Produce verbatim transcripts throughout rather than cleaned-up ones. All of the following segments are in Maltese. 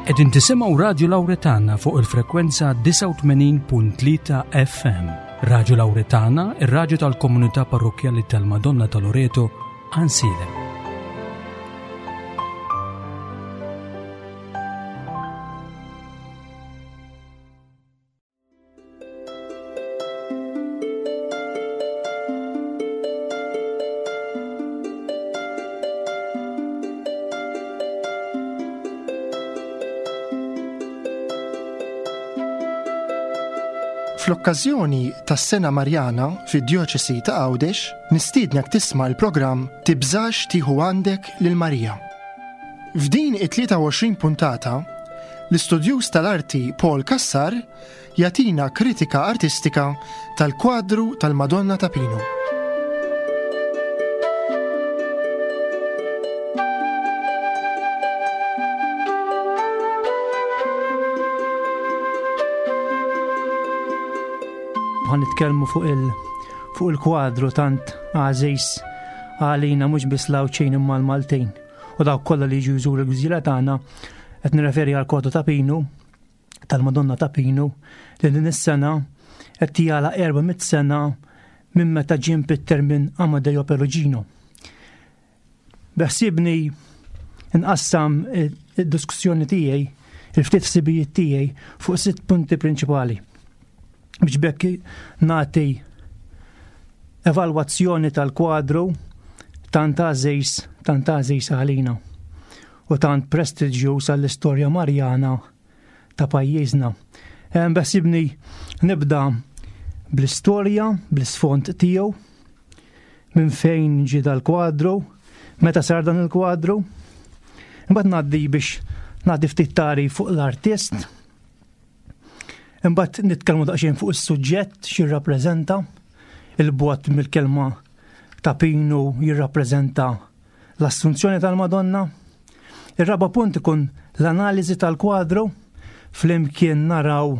Qegħdin tisimgħu Radju Lawretana fuq il-frekwenza disgħa u tmenin punt tlieta F M. Radju Lawretana, ir-radju tal-Komunità Parrokkjali tal-Madonna ta' Loreto, Għajnsielem. Fl-okkażjoni tas-Sena Marjana fid-Djoċesi ta' Għawdex, nistiednek tisma' l-programm Tibżax tieħu għandek lil Marija. F'din it-tlieta u għoxrin puntata, l-istudjuż tal-arti Paul Cassar jagħtina kritika artistika tal-kwadru tal-Madonna ta' Pinu. Ħa nitkellmu fuq il fuq il-kwadru tant għażiż għalina, mhux biss l-Għawdxin imma l-Maltin u dawk kollha li jiġu jżuru l-gżira tagħna. Qed nirreferi għal kwadru ta' Pinu, tal-Madonna ta' Pinu, li din is-sena qed jagħlaq erba' mitt sena minn meta ġie mpitter minn Amadeo Perugino. Beħsibni nqassam id-diskussjoni tiegħi, il-ftit ħsibijiet tiegħi, fuq sitt punti prinċipali biex b'hekk nagħti evalwazzjoni tal-kwadru tant għażiż, tant għażiż għalina u tant prestiġjuż għall-istorja Marjana ta' pajjiżna. Beħsibni nibda bl-istorja, bl-isfond tiegħu, minn fejn ġie dal-kwadru, meta sar dan il-kwadru. Imbagħad ngħaddi biex ngħaddi ftit tagħrif fuq l-artist. Imbagħad nitkellmu daqsxejn fuq is-suġġett, x'jirrappreżenta, il-bogħod mill-kelma ta' Pinu jirrappreżenta l-Assunzjoni tal-Madonna. Ir-raba' punt ikun l-analiżi tal-kwadru, flimkien naraw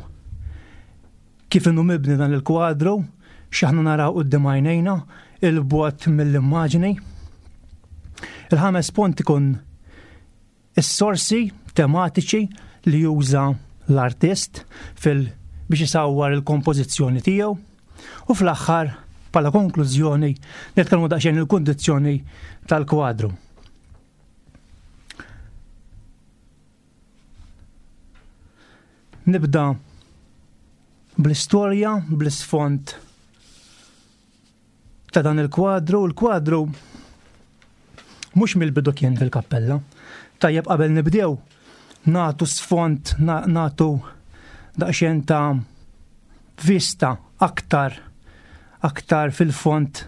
kif inhu mibni dan il-kwadru, x'aħna naraw quddiem għajnejna, il-bogħod mill-immaġni. Il-ħames punt ikun is-sorsi tematiċi li juża l-artist fil biex isawwar il-kompożizzjoni tiegħu. U fl-aħħar, bħala konklużjoni, nitkellmu daqsxejn il-kundizzjoni tal-kwadru. Nibda bl-istorja, bl-isfond ta' dan il-kwadru. Il-kwadru mhux mill-bidu kien fil-kappella. Tajjeb qabel nibdew nagħtu sfond, nagħtu daqsxejn ta' vista aktar aktar fil-fond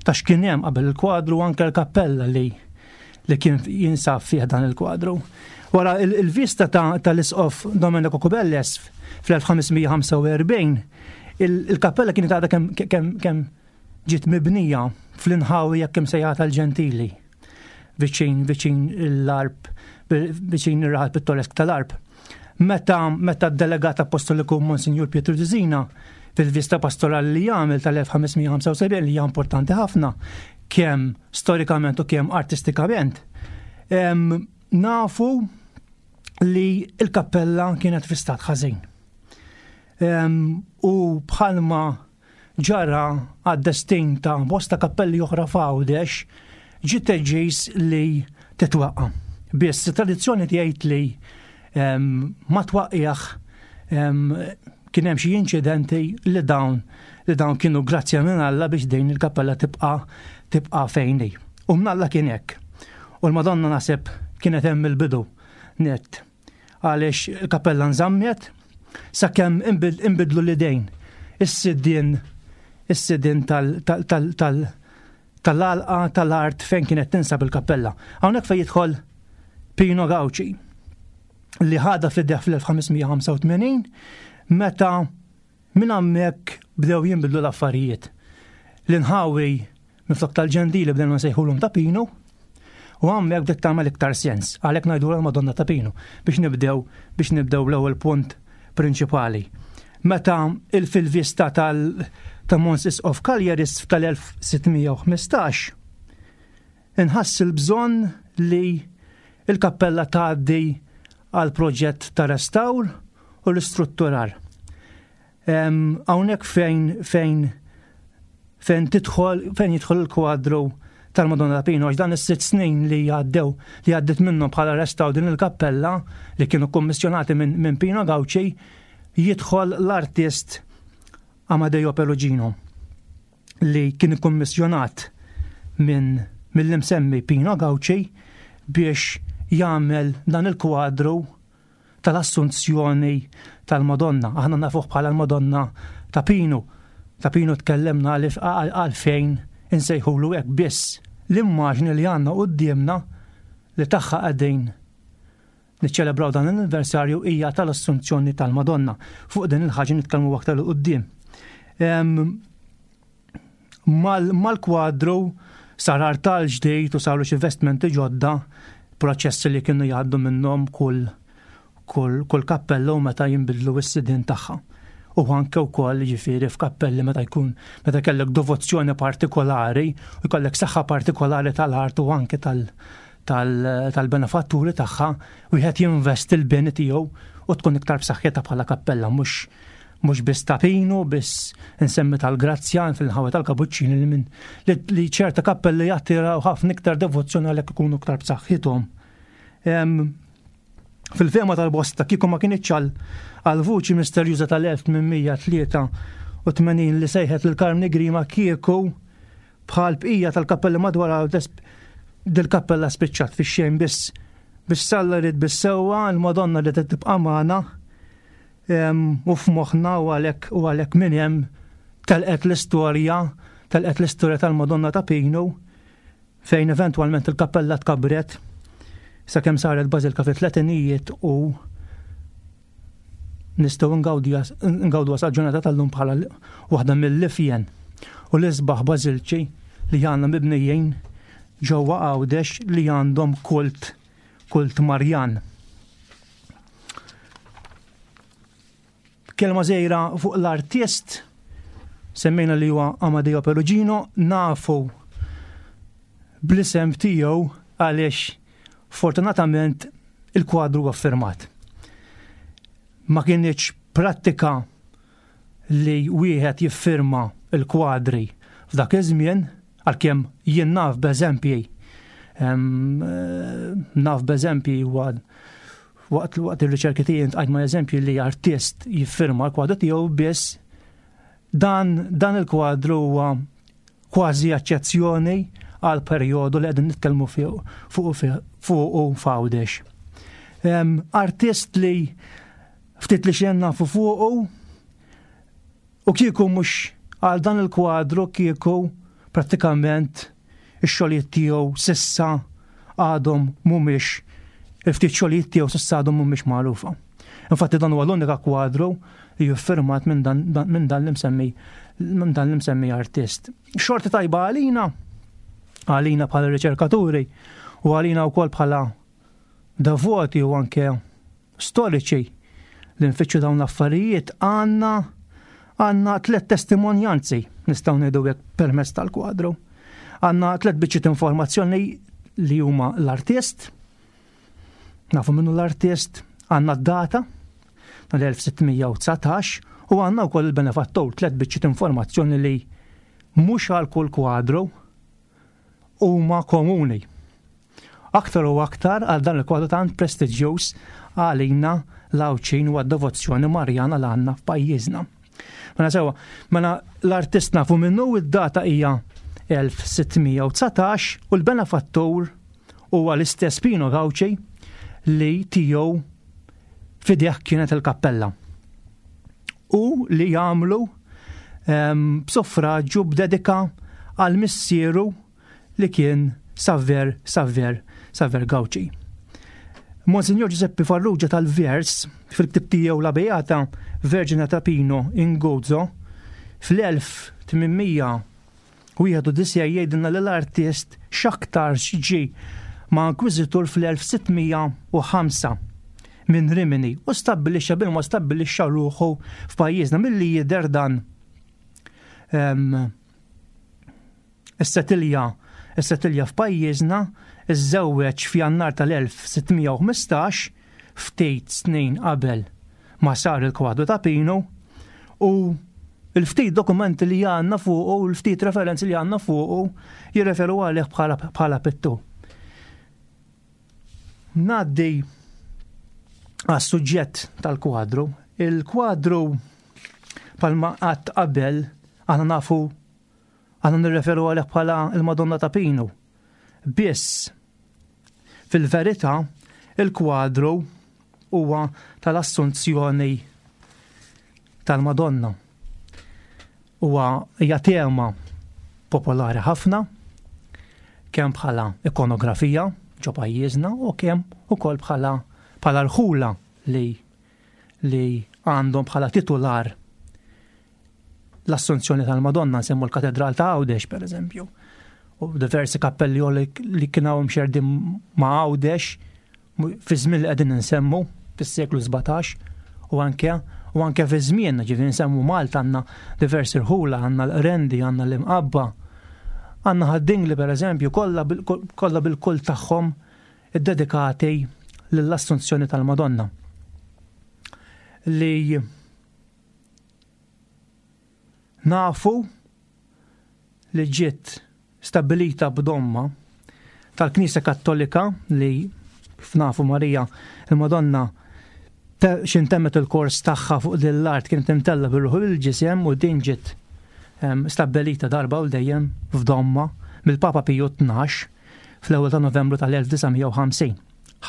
ta' x'kien hemm qabel il-kwadru, anke l-kappella li li kien jinsab fih dan il-kwadru. Wara il-vista tal-isqof Domenico Cubelles fl-elf ħames mija ħamsa u erbgħin, il-kappella kienet għadha kemm ġiet mibnija fl-inħawi jekk sejħa tal-Ġentili, viċin viċin l-Għarb, viċin ir-raħal pittoresk tal-Għarb. Meta meta d-delegat apostoliku Monsignor Pietro Dizina fil-vista pastorali li jagħmel tal-elf ħames mija ħamsa u sebgħin, li hija importanti ħafna kemm storikament u kemm artistikament, nafu li il-kappella kienet fi stat ħażin. U bħalma ġara għad-destin ta' bosta kappelli oħra f'Għawdex, ġiet deċiż li titwaqqa. Biss, tradizzjoni tgħid li ma twaqqiex kien hemm xi inċidenti li dawn li dawn kienu grazzja minn Alla biex din il-kappella tibqa' tibqa' fejn hi. U minn Alla kien hekk. U l-Madonna naħseb kienet hemm il-bidu net. Għaliex il-kappella nżammet sakemm inbidlu l-idejn. Is-sidien is-sidien tal tal-għalqa tal-art fejn kienet tinsab il-kappella. Hawnhekk fejn jidħol Pino Gauci, li ħadha f'idejh fl-elf ħames mija ħamsa u tmenin, meta minn hemmhekk bdew jinbidlu l-affarijiet. L-inħawi minflok tal-Ġentili bdejna nsejħulhom ta' Pinu u hemmhekk bdiet tagħmel iktar sens, għalhekk ngħidu l-Madonna ta' Pinu, biex nibdew biex nibdew l-ewwel punt prinċipali. Meta il-fil-vista tal ta' Mons Isqof Cagliaris tal-elf sitt mija u ħmistax inħass il-bżonn li il-kappella tgħaddi għal proġett ta' restawr u l-istrutturar. Hawnhekk fejn fejn fejn tidħol fejn jidħol il-kwadru tal-Madonna ta' Pinu, għax dan is-sitt snin li għaddew li għaddit minnhom bħala restawr din il-kappella li kienu kommissjonati minn min Pino Gauci, jidħol l-artist Amadeo Perugino li kien kommissjonat minn mill-imsemmi Pino Gauci biex jagħmel dan il-kwadru tal-Assunzjoni tal-Madonna. Aħna nafuh bħala l-Madonna ta' Pinu. Ta' Pinu tkellemna għalfejn insejħulu hekk, biss l-immaġni li għandna quddiemna li tagħha qegħdin niċċelebraw dan l-anniversarju hija tal-Assunzjoni tal-Madonna. Fuq din il-ħaġa nitkellmu aktar 'il quddiem. Mal-kwadru sar artal ġdid u saru xi vestmenti ġodda, proċessi li kienu jgħaddu minnhom kull kull, kull kappella u meta jinbidlu s-sidien tagħha. U anke wkoll ġifieri f'kappelli meta jkun meta kellek devozzjoni partikolari u jkollek saħħa partikolari tal-art u anke tal tal-benefatturi tagħha, wieħed jinvesti l-beni tiegħu u tkun iktar b'saħħitha bħala kappella, mhux mhux biss ta' Pinu, biss insemmi tal-Grazzja fil-ħawa tal-Kabuċċini li minn li ċerta kappelli jattiraw ħafna iktar devozzjoni għalhekk ikunu iktar b'saħħithom. Fil-fehma tal-bosta, kieku ma kinitx għal vuċi misterjuża tal-elf tmien mija tlieta u tmenin li sejħet lil Karmni Grima, kieku bħal bqija tal-kappelli madwar dil-kappella spiċċat fix-xejn, biss biex Alla ried bis-sewwa, l-Madonna li tibqa' magħna u f'moħħna, u għalhekk u għalhekk minn hemm telqet l-istorja telqet l-istorja tal-Madonna ta' Pinu, fejn eventwalment il-kappella tkabret sakemm saret bażilka fit-tletinijiet u nistgħu ngawdu sal-ġurnata tal-lum bħala waħda mill-ifjen u l-isbaħ bażilċi li għandna mibnijin ġewwa Għawdex li għandhom kult kult Marjan. Kelma żgħira fuq l-artist, semmejna li huwa Amadeo Perugino, nafu bl-isem tiegħu għaliex fortunatament il-kwadru huwa firmat. Ma kienx prattika li wieħed jiffirma il-kwadri f'dak iż-żmien, għalkemm jien naf b'eżempji naf b'eżempji waqt waqt ir-riċerki tiegħi ntqajt ma' eżempji li artist jiffirma l-kwadru tiegħu, biss dan, dan il-kwadru huwa kważi eċċezzjoni għal perjodu li qegħdin nitkellmu fuq fuq f'Għawdex. Artist li ftit li xejn nafu fuqu, u kieku mhux għal dan il-kwadru kieku prattikament ix-xogħlijiet tiegħu sissa għadhom mhumiex, il-ftit xogħlijiet tiegħu sissa għadhom mhumiex magħrufa. Infatti dan huwa l-unika kwadru li jiffirmat minn dan, minn dan l-imsemmi minn dan l-imsemmi artist. Xorti tajba għalina, għalina bħala riċerkaturi u għalina wkoll bħala devoti u anke storiċi li nfittxu dawn l-affarijiet, għandna għandna tliet testimonjanzi, nistgħu ngħidu hekk, permezz tal-kwadru. Għandna tliet biċċiet informazzjoni li huma l-artist, nafu minnu l-artist, għandna d-data tal-elf sitt mija u dsatax u għandna wkoll il-benefattur, tliet biċċiet informazzjoni li mhux għal kull kwadru huma komuni. Aktar u aktar għal dan il-kwadru tant prestiġjuż għalina l-Għawdxin u għad-devozzjoni Marjana l għandna f'pajjiżna. Mela sewa, mela l-artist nafu minnu, id-data hija elf sitt mija u dsatax u l-benefattur huwa l-istess Pino Gauci li tiegħu fideh kienet il-kappella. U li jagħmlu b'suffraġġu b'dedika għal missieru li kien Saver, Saver, Saver Gauci. Monsignor Giuseppe Farrugia tal-Vers fil-ktib tiegħu La Beata Vergine ta' Pino in Gozo fl-elf tmien mija wieħed u disgħin jgħidilna li l-artist x'aktarx ġie ma' inkwiżitur fl-elf sitt mija u ħamsa minn Rimini u stabbilixxa bil-ma stabbilixxa ruħu f'pajjiżna. Milli jidher dan is-setilja is-setilja f'pajjiżna, iżżewweġ f'Jannar tal-elf sitt mija u ħmistax ftit snin qabel ma sar il-kwadru ta' Pinu u il-ftit dokumenti li għandna fuqu u l-ftit referenzi li għandna fuqu jirreferu għalih bħala, bħala pittur. Ngħaddi għas-suġġett tal-kwadru. Il-kwadru bħalma għedt qabel aħna nafu aħna nirreferu għalih bħala il-Madonna ta' Pinu. Biss fil-verità il-kwadru huwa tal-Assunzjoni tal-Madonna. Huwa hija tema popolari ħafna kemm bħala ikonografija ġo pajjiżna u kemm ukoll bħala bħala rħula li li għandhom bħala titular l-Assunzjoni tal-Madonna, nsemmu l-Katedral ta' Għawdex per eżempju. U diversi kappelli li, li kienu mxerdin ma' Għawdex fi żmien li qegħdin nsemmu fis-seklu sbatax u anke u anke fi żmien, ġifieri nsemmu Malta għandna diversi rħula, għandna l-Qrendi, għandna l-Imqabba, għandna Ħad-Dingli per eżempju, kollha bil-kull tagħhom iddedikati lill-Assunzjoni tal-Madonna. Li nafu li ġiet stabilita b'domma tal-Knisja Kattolika li kif nafu Marija il-Madonna x'intemmet il-kors tagħha fuq din l-art kienet imtella bir-ruħ il-ġisem u din ġiet stabilita darba u dejjem f'domma mill-Papa Piju tnax fl-ewwel ta' Novembru tal-elf disa' mija u ħamsin.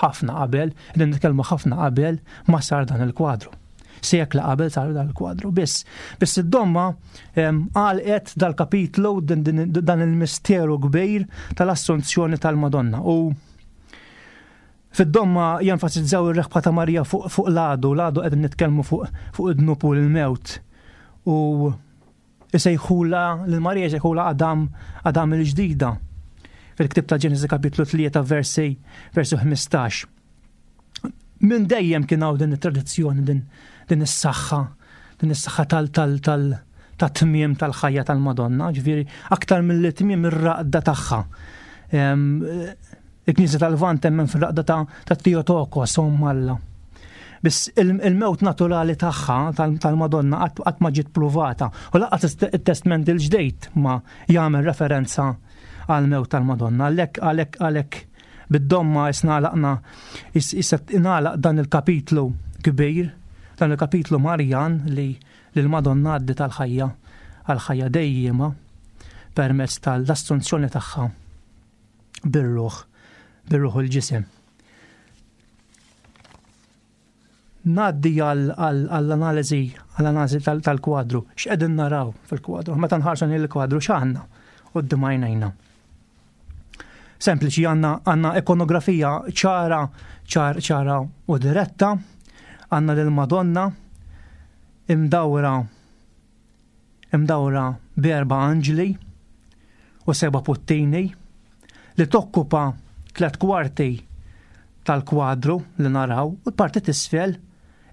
Ħafna qabel, qegħdin nitkellmu ħafna qabel ma sar dan il-kwadru. Sekla qabel sar dan il-kwadru. Biss, biss id-domma għalqet dal-kapitlu din, din, dan il-misteru kbir tal-Assunzjoni tal-Madonna. U fid-domma jenfasizzaw ir-reħba ta' Marija fuq, fuq l-għadu, l-għadu qegħdin nitkellmu fuq, fuq id-dnub u l-mewt. U isejħula, lil Marija jsejħula Adam, Adam il-ġdida. Fil-ktib ta' Ġenesi kapitlu tlieta versi, versi ħmistax. Minn dejjem kien hawn din it-tradizzjoni, din, din is-saħħa, din is-saħħa tal, tal, tal, ta' tmiem tal-ħajja tal-Madonna, ġifieri aktar mill tmiem ir-raqda tagħha. Em, Il-Knisja tal-Lvant temmen fir-raqda ta', ta' Theotokos, Omm Alla. Biss il-, il-mewt naturali tagħha tal-, tal-Madonna qatt, qatt ma ġiet pruvata u lanqas it-Testament il-Ġdid ma jagħmel referenza għal-mewt tal-Madonna. Għalhekk, għalhekk, għalhekk bid-domma isna għalaqna, is-, issa ingħalaq dan il-kapitlu kbir, dan il-kapitlu Marjan li l-Madonna għaddi tal-ħajja għal-ħajja dejjema permezz tal-assunzjoni tagħha bir-ruħ, bir-ruħ u l-ġisem. Ngħaddi għall-analiżi, għall-analiżi tal-, tal-kwadru. X'qegħdin naraw fil-kwadru? Meta nħarsu lejn il-kwadru x'għandna quddiem għajnejna? Sempliċi, għandna, għandna ikonografija ċara, ċar, ċara u diretta, għandna lil Madonna imdawra, imdawra b'erba' anġli u seba' puttini li tokkupa tliet kwarti tal-kwadru li naraw, u l-parti t'isfel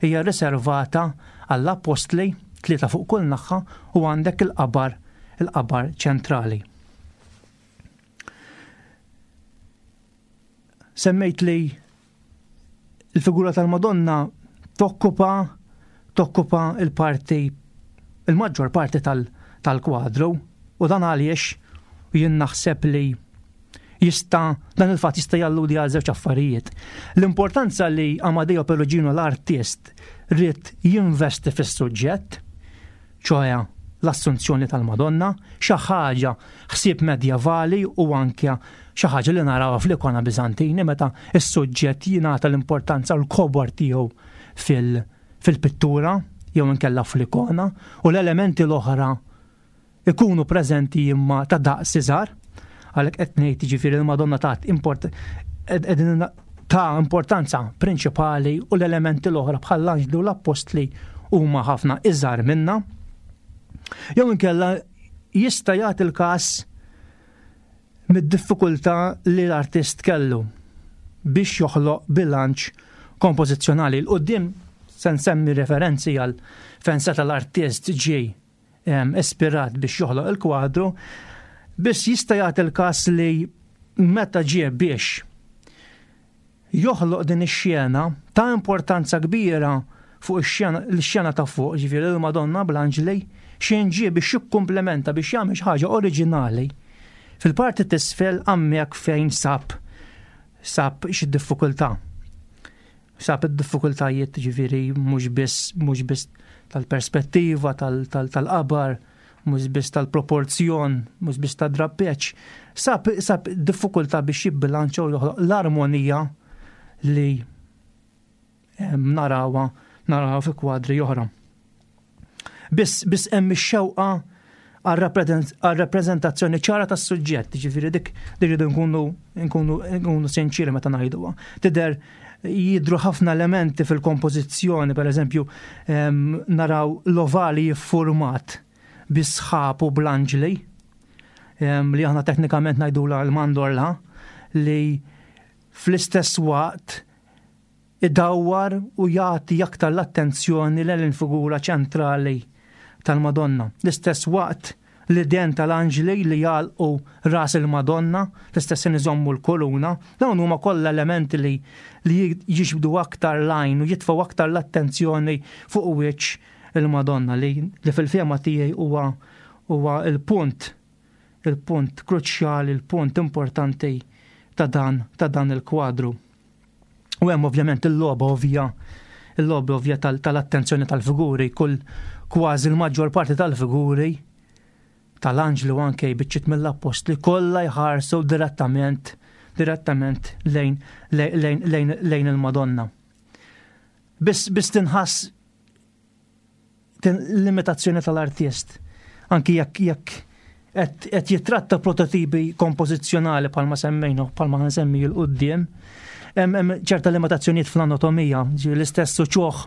hija riservata għall-apostli, tlieta fuq kull naħa, u għandek il-qabar, il-qabar ċentrali. Semmejt li l-figura tal-Madonna tokkupa, tokkupa il-parti, il-maġġor parti tal-, tal-kwadru, u dan għaliex jien naħseb li jista, dan il-fatt jista' jalludi għal żewġ affarijiet. L-importanza li Amadeo Perugino l-artist ried jinvesti fis-suġġett, ċoħe l-Assunzjoni tal-Madonna, xi ħaġa ħsieb medjevali u anke xi ħaġa li narawha fl-ikona Biżantini meta s-suġġett jingħata l-importanza u l-kobor tiegħu fil-, fil-pittura jew inkella fl-ikona, u l-elementi l-oħra ikunu preżenti imma ta' daqs iżgħar. Għalhekk qed ngħid jiġifieri l-Madonna tat import-, ed-, qegħdin ta' importanza prinċipali u l-elementi l-oħra bħall-anġli u l-appostli huma ħafna iżgħar minna. Jew inkella jista' jagħti l-każ mid-diffikultà li l-artist kellu biex joħloq bilanċ kompożizzjonali. L-qudiem se nsemmi referenzi għal fejn seta' l-artist ġie, em, ispirat biex joħloq il-kwadru, biss jista' jagħti l-każ li meta ġie biex joħloq din ix-xena Ta' importanza kbira fuq ix-xena ta' fuq, ġifieri l-Madonna bl-Anġli, xejn ġie biex jikkumplementa, biex jagħmel xi ħaġa oriġinali. Fil-parti t'isfel hemmhekk fejn sab sab xi diffikultà. Sab id-diffikultajiet, ġifieri mhux biss mhux biss tal-perspettiva tal-qabar, mhux biss tal-proporzjon, mhux biss tad-drappeġġ. Sab, sab diffikultà biex jibbilanċa u joħloq l-armonija li narawha narawha fi kwadri oħra. Biss biss hemm ix-xewqa għal rappreżentazzjoni ċara tas-suġġett, ġifieri dik irridu nkunu nkunu nkunu sinċiri meta ngħiduha. Tidher jidru ħafna elementi fil-kompożizzjoni, per eżempju, naraw l-ovali jiffurmat bis-sħab u bl-anġli, li aħna teknikament ngħidula l-mandorla, li fl-istess waqt idawwar u jagħti aktar l-attenzjoni l-figura ċentrali tal-Madonna. L-istess waqt l-idejn tal-anġli li jagħlqu ras il-Madonna, l-istess iżommu l-koluna, dawn huma kollha elementi li li jiġbdu aktar l-għajn u jitfgħu aktar l-attenzjoni fuq wiċċ il-Madonna li, li fil-fehma tiegħi huwa huwa il-punt il-punt kruċjali, il-punt importanti ta' dan ta' dan il-kwadru. U hemm ovvjament il-logħba ovvja il-logħba ovvja tal-attenzjoni tal-figuri, kull kważi l-maġġor parti tal-figuri tal-anġli u anke biċċiet mill-appostli kollha jħarsu direttament direttament lejn lejn lejn lejn il-Madonna. Biss biss tinħass limitazzjoni tal-artist. Anki jekk jekk qed jitratta prototipi kompożizzjonali bħalma semmejna, bħalma nsemmi 'l quddiem, hemm ċerta limitazzjonijiet fl-anatomija, l-istess uċuħ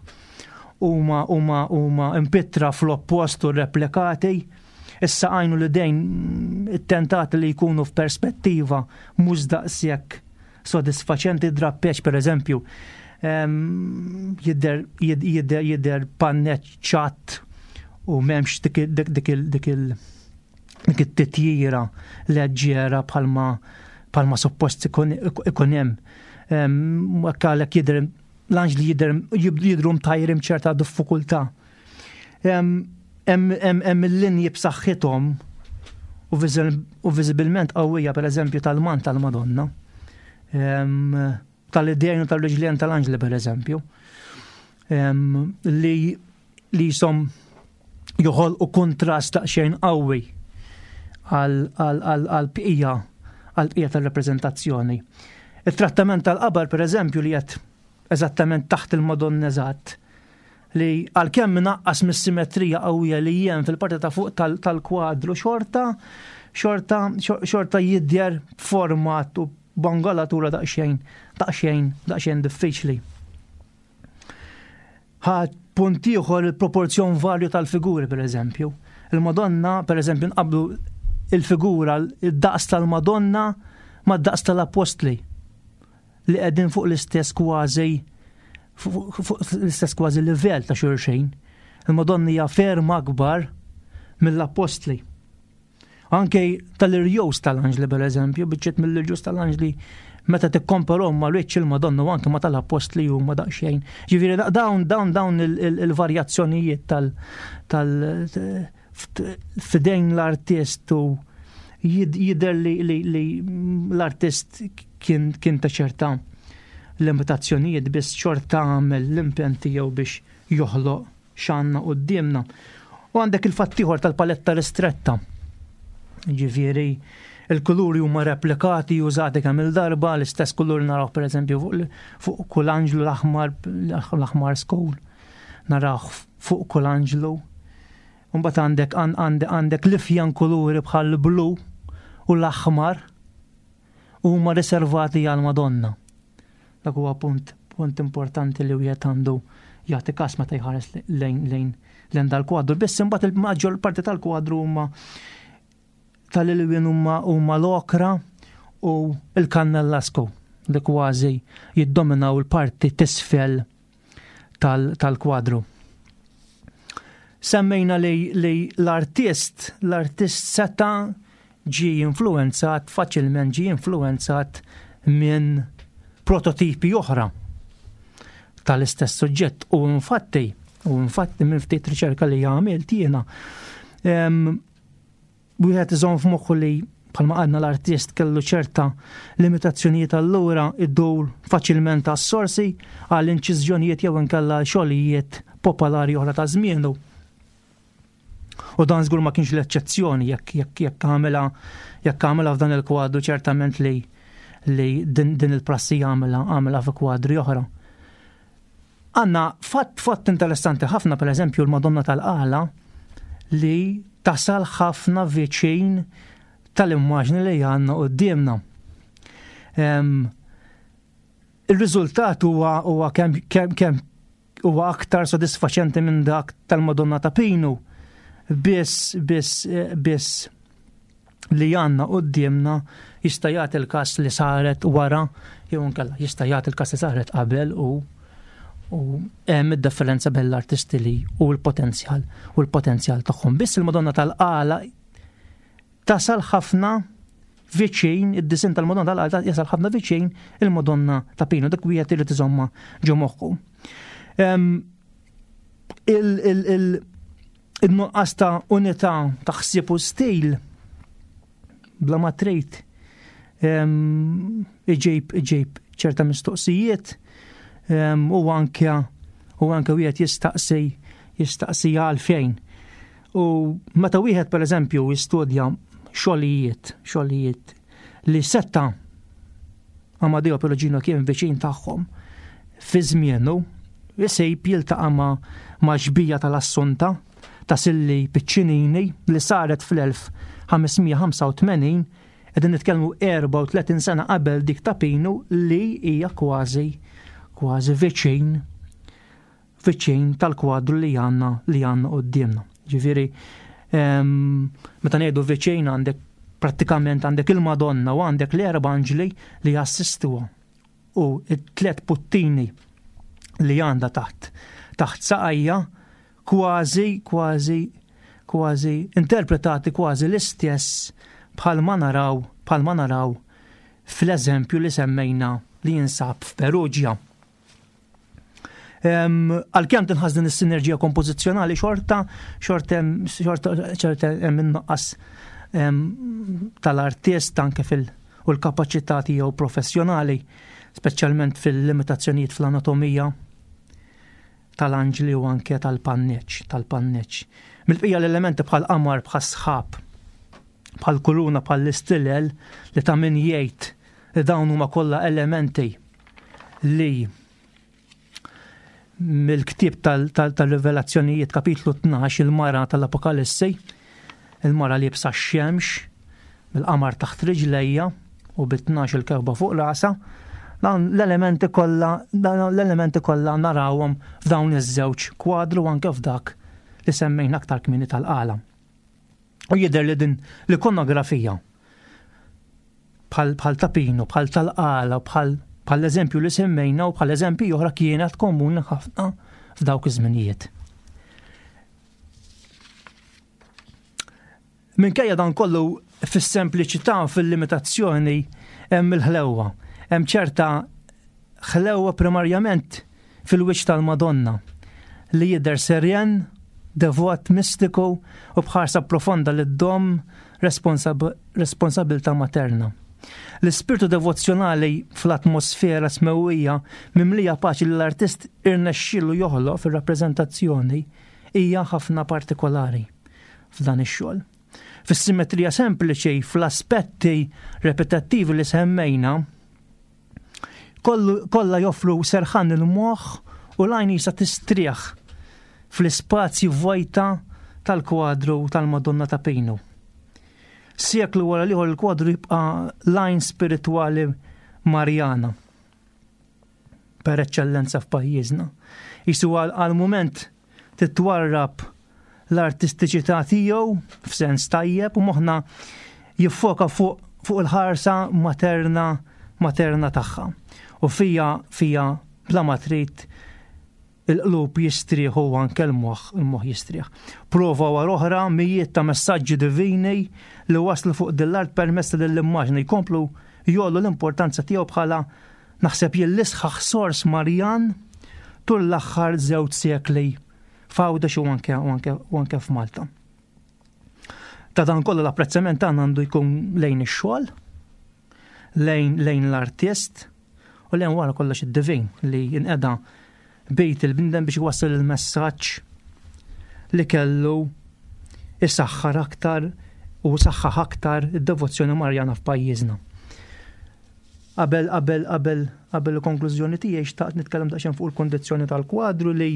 huma huma huma impittra fl-oppost u replikati. Issa għajnu l-idejn it-tentati li jkunu f'perspettiva mhux daqshekk sodisfaċenti. Drappeċ, per eżempju, jidher jidher jidher panneġġ ċatt u m'hemmx dik dik dik dik it-titjira leġġera bħalma bħalma suppost ikun hemm. Għalhekk jidher l-anġli jidher jidhru mtajrim ċerta diffikultà. Hemm il-linji b'saħħithom u viżibilment qawwija, per eżempju, tal-mant tal-Madonna. Tal-idejn u tal-riġlien tal-anġli, per eżempju. Li li jisom joħolqu kontrast daqsxejn qawwi għal-bqija għal-bqija tal-rappreżentazzjoni. Il-trattament tal-qabar, per eżempju, li qed eżattament taħt il-Madonna eżatt, li għalkemm naqqas mis-simetrija qawwija li hemm fil-parti ta' fuq tal-kwadru, xorta xorta xorta jidher format u b'angolatura daqsxejn daqsxejn daqsxejn diffiċli. Ħadd punt ieħor, il-proporzjon varju tal-figuri, per eżempju. Il-Madonna, per eżempju, nqablu il-figura, id-daqs tal-Madonna ma' daqs tal-Apostli li qegħdin fuq l-istess kważi fuq l-istess kważi livell ta' xulxin. Il-Madonna hija ferm akbar mill-Apostli. Anke tal-irjus tal-anġli, per eżempju, biċċiet mill-irjus tal-anġli meta tikkomparhom ma' wiċċ il-Madonna u anke ma' tal-Apostli huma daqsxejn. Ġifieri dawn dawn dawn il-varjazzjonijiet tal tal f'idejn l-artist u jidher li l-artist kien kien ta' ċerta limitazzjonijiet, biss xorta għamel l-impenn tiegħu biex joħloq x'għandna quddiemna. U għandek il-fatt ieħor tal-paletta ristretta. Ġifieri, il-kuluri huma replikati, użati kemm il-darba, l-istess kulur naraw, per eżempju, fuq kull anġlu, l-aħmar l-aħmar skur. Naraw fuq kull anġlu. Mbagħad għandek għandek l-ifjan kuluri bħal blu u l-aħmar huma riservati għal Madonna. Dak huwa punt punt importanti li wieħed għandu jagħti kas meta jħares lejn lejn lejn dal-kwadru. Biss imbagħad il-maġġor parti tal-kwadru huma tal-ilwien huma huma l-okra u il-kannellasku li kważi jiddominaw il-parti t'isfel tal-kwadru. Semmejna li, li l-artist, l-artist seta ġi influenzat, faċilment ġi influenzat minn prototipi oħra tal-istess suġġett. U infatti, u infatti minn ftit riċerka li għamilt jiena, wieħed iżomm f'moħħu li bħalma għadna l-artist kellu ċerta limitazzjonijiet, allura iddur faċilment għas-sorsi, għal inċiżjonijiet jew inkella xogħlijiet popolari oħra ta' żmienu. U dan żgur ma kienx l-eċċezzjoni. jekk jekk jekk għamela jekk għamela f'dan il-kwadru, ċertament li li din, din il-prassi għamela għamela fi kwadri oħra. Għanna fatt fatt interessanti ħafna, per eżempju, l-Madonna tal-Qala li tasal ħafna viċin tal-immaġni li għanna quddiemna. Il-riżultat huwa huwa kemm kemm kemm huwa aktar sodisfaċenti minn dak tal-Madonna ta' Pinu. Biss biss biss li għanna quddiemna jista' jagħti il-każ li saret wara jew inkella jista' jagħti il-każ li saret qabel u u hemm id-differenza bejn l-artisti li u l-potenzjal u l-potenzjal tagħhom. Biss il-Madonna tal-Qala tasal ħafna viċin, id-disin tal-Madonna tal-Qala jasal ħafna viċin il-Madonna ta' Pinu, dak wieħed irid iżomma ġo moħħu. Il-nuqqas ta' unità ta' ħsieb u stil bla ma trid iġib iġib ċerta mistoqsijiet, u anke u anke wieħed jistaqsi jistaqsi għalfejn. U meta wieħed, per eżempju, jistudja xogħlijiet xogħlijiet li setta Amadeo Perugino kien viċin tagħhom fi żmienu, jsejb jiltaqa' ma' ma' xbija tal-Assunta ta' Silli Piccinini li saret fl-elf ħames mija ħamsa u tmenin, qegħdin nitkellmu erbgħa u tletin sena qabel dik ta' Pinu, li hija kważi kważi viċin viċin tal-kwadru li għandna li għandna quddiemna. Ġifieri, meta ngħidu viċin, għandek prattikament għandek il-Madonna u għandek l-erba' anġli li jassistuha u it-tlet puttini li għandha taħt taħt saqajja kważi kważi kważi interpretati kważi l-istess bħalma naraw bħalma naraw fl-eżempju li semmejna li jinsab f'Perugia. Għalkemm tinħass din is-sinerġija kompożizzjonali, xorta xorta xorta xorta hemm innuqqas tal-artist anke fil- u l-kapaċità tiegħu professjonali, speċjalment fil-limitazzjonijiet fl-anatomija tal-anġli u anke tal-panneċ, tal-panneċ. Mill-bqija l-elementi bħal qamar, bħal sħab, bħal kuruna, bħal l-istilel, li ta' min jgħid li dawn huma kollha elementi li mill-ktieb tal-Rivelazzjonijiet, kapitlu tnax, il-mara tal-Apokalissi, il-mara li liebsa x-xemx, bil-qamar taħt riġlejja u bit-tnax il-kewba fuq rasa, dan l-elementi kollha l-elementi kollha narawhom f'dawn iż-żewġ kwadru, anke f'dak li semmejna aktar kmieni tal-Qala. U jidher li din l-ikonografija bħal bħal ta' Pinu, bħal tal-Qala, bħal bħal eżempju li semmejna u bħal eżempju oħra kienet komuni ħafna f'dawk iż-żminijiet. Minkejja dan kollu, fis-sempliċità, fil-limitazzjoni hemm il-ħlewwa. Hemm ċerta ħlewwa primarjament fil-wiċċ tal-Madonna li jidher serjen, devot, mistiku u bħarsa profonda li ddomm responsab responsabilta materna. L-ispirtu devozzjonali fl-atmosfera smewwija mimlija paċi li l-artist irnexxielu joħloq fir-rappreżentazzjoni hija ħafna partikolari f'dan ix-xogħol. Fis-simmetrija sempliċi, fl-aspetti repetattivi li semmejna, kollha joffru serħan il-moħħ u l-għajn jisa tistrieħ fl-ispazji vojta tal-kwadru tal-Madonna ta' Pinu. Seklu wara l-ieħor, il-kwadru jibqa' l-għajn spiritwali Marjana per eċċellenza f'pajjiżna. Jisu għal mument titwarrab l-artistiċità tiegħu f'sens tajjeb u moħħna jiffoka fuq fuq il-ħarsa materna materna tagħha. U fija fija bla ma trid il-qlub jistrieħu u anke l-moħħ il-moħħ jistrieħ. Prova wara oħra, mijiet ta' messaġġi divini li waslu fuq din l-art permezz ta' l-immaġni jkomplu jgħollu l-importanza tiegħu bħala, naħseb jien, l-isħaħ sors Marjan tul l-aħħar żewġ sekli f'Għawdex u anke u anke u anke f'Malta. Ta' dan kollu l-apprezzament tagħna għandu jkun lejn ix-xogħol, lejn lejn l-artist u lejn wara kollox id-divin li jinqeda bejt il-bniedem biex iwassal il-messaġġ li kellu isaħħar aktar u saħħaħ aktar id-devozzjoni Marjana f'pajjiżna. Qabel qabel qabel qabel il-konklużjoni tiegħi xtaqt nitkellem daqsxejn fuq il-kondizzjoni tal-kwadru li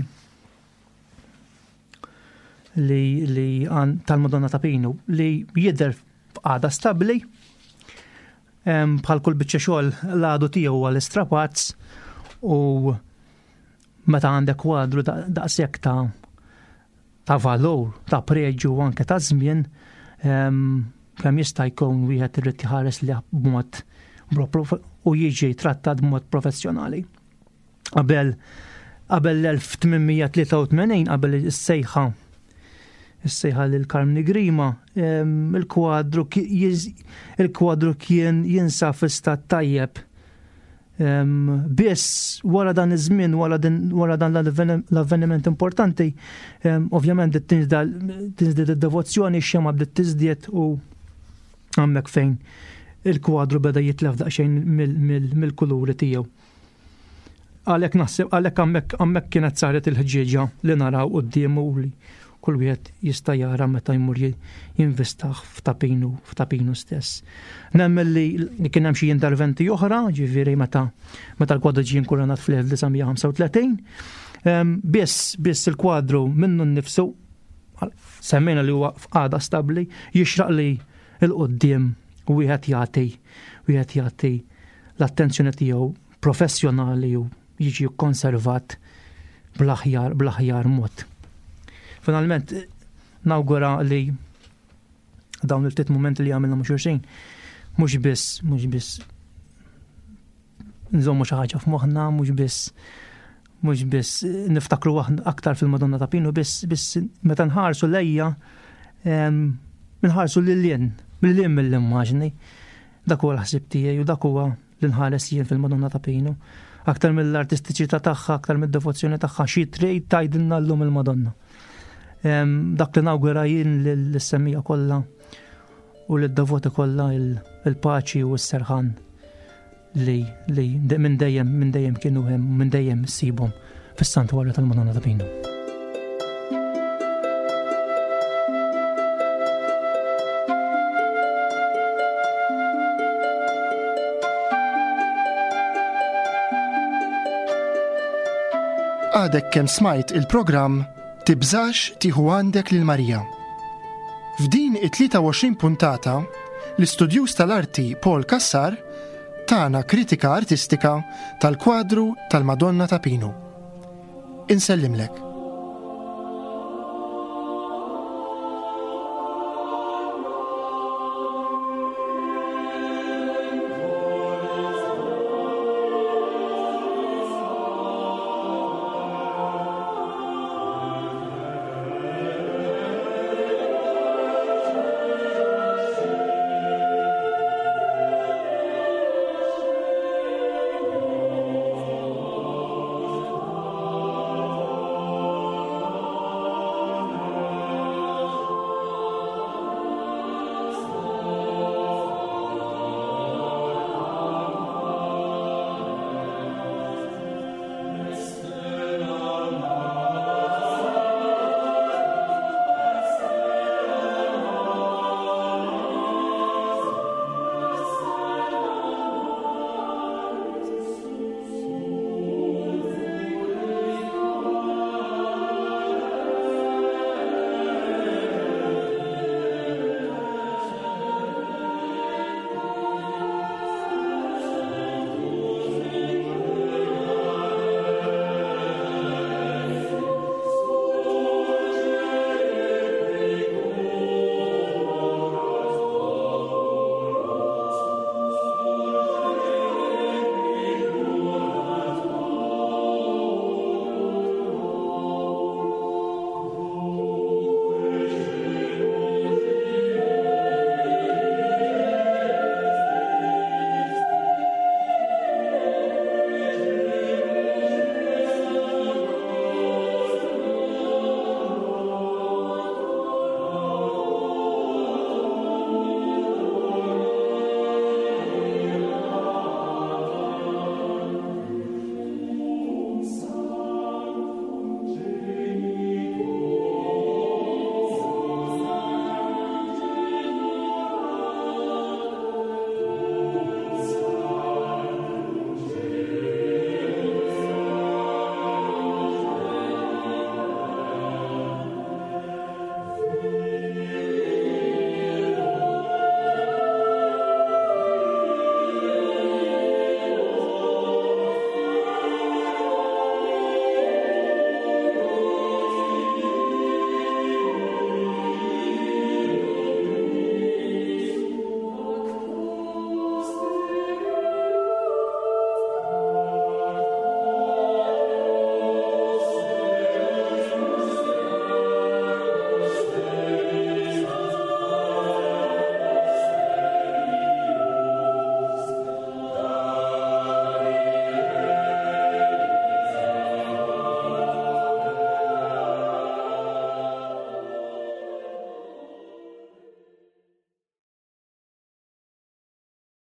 li li għan tal-Madonna ta' Pinu li jidher f'qagħda stabbli bħal kull biċċa xogħol l-għadu tiegħu huwa l-istrapazz u meta għandek kwadru daqshekk ta' ta' valur, ta' preġju u anke ta' żmien, kemm jista' jkun wieħed irid jħares li b'mod u jiġi trattat b'mod professjonali. Qabel qabel l-elf tmien mija tlieta u tmenin, qabel is-sejħa is-sejħa lil Karmni Grima, il-kwadru il-kwadru kien jinsab fi stat tajjeb. Biss wara dan iż-żmien, wara dan l-avveniment importanti, ovvjament bdiet tinżdied id-devozzjoni, ix-xema bdiet tiżdied u hemmhekk fejn il-kwadru beda jitlef daqsxejn mill-kuluri tiegħu. Għalhekk naħseb, għalhekk hemmhekk, hemmhekk kienet saret il-ħġieġa li naraw quddiemu u li kull wieħed jista' jara meta jmur jinvestah f'Ta' Pinu, f'Ta' Pinu stess. Nemmen li, li kien hemm xi interventi oħra, ġifieri meta, meta l-kwadru ġie inkuranat fl-elf disa' mija ħamsa u tletin. Ehm, biss, biss il-kwadru minnu nnifsu, semmejna li huwa f'qagħda stabbli, jixraq li l-quddiem wieħed jagħti, wieħed jagħti l-attenzjoni tiegħu professjonali u jiġi konservat bl-aħjar, bl-aħjar mod. Finalment, nawgura li dawn il-ftit momenti li għamilna mhux xulxin, mhux biss, mhux biss nżommu xi ħaġa f'moħħna, mhux biss, mhux biss niftakru aktar fil-Madonna ta' Pinu, biss, biss meta nħarsu lejja, em, nħarsu lil hinn, lil hinn mill-immaġni. Dak huwa l-ħsieb tiegħi u dak huwa li nħares jien fil-Madonna ta' Pinu. Aktar mill-artistiċità tagħha, aktar mid-devozzjoni tagħha, xi trid tgħidilna llum il-Madonna. Em, dak li nawgura jien lill-semmija kollha u lid-devoti kollha il-paċi u s-serħan li, li minn dejjem, minn dejjem kienu hemm, minn dejjem issibhom fis-santwarju tal-Madonna ta' Pinu. Għadek kemm smajt il-programm Tibżax tieħu għandek lil Marija. F'din it-tlieta u għoxrin puntata, l-istudjuż tal-arti Paul Cassar tana kritika artistika tal-kwadru tal-Madonna ta' Pinu. Insellimlek.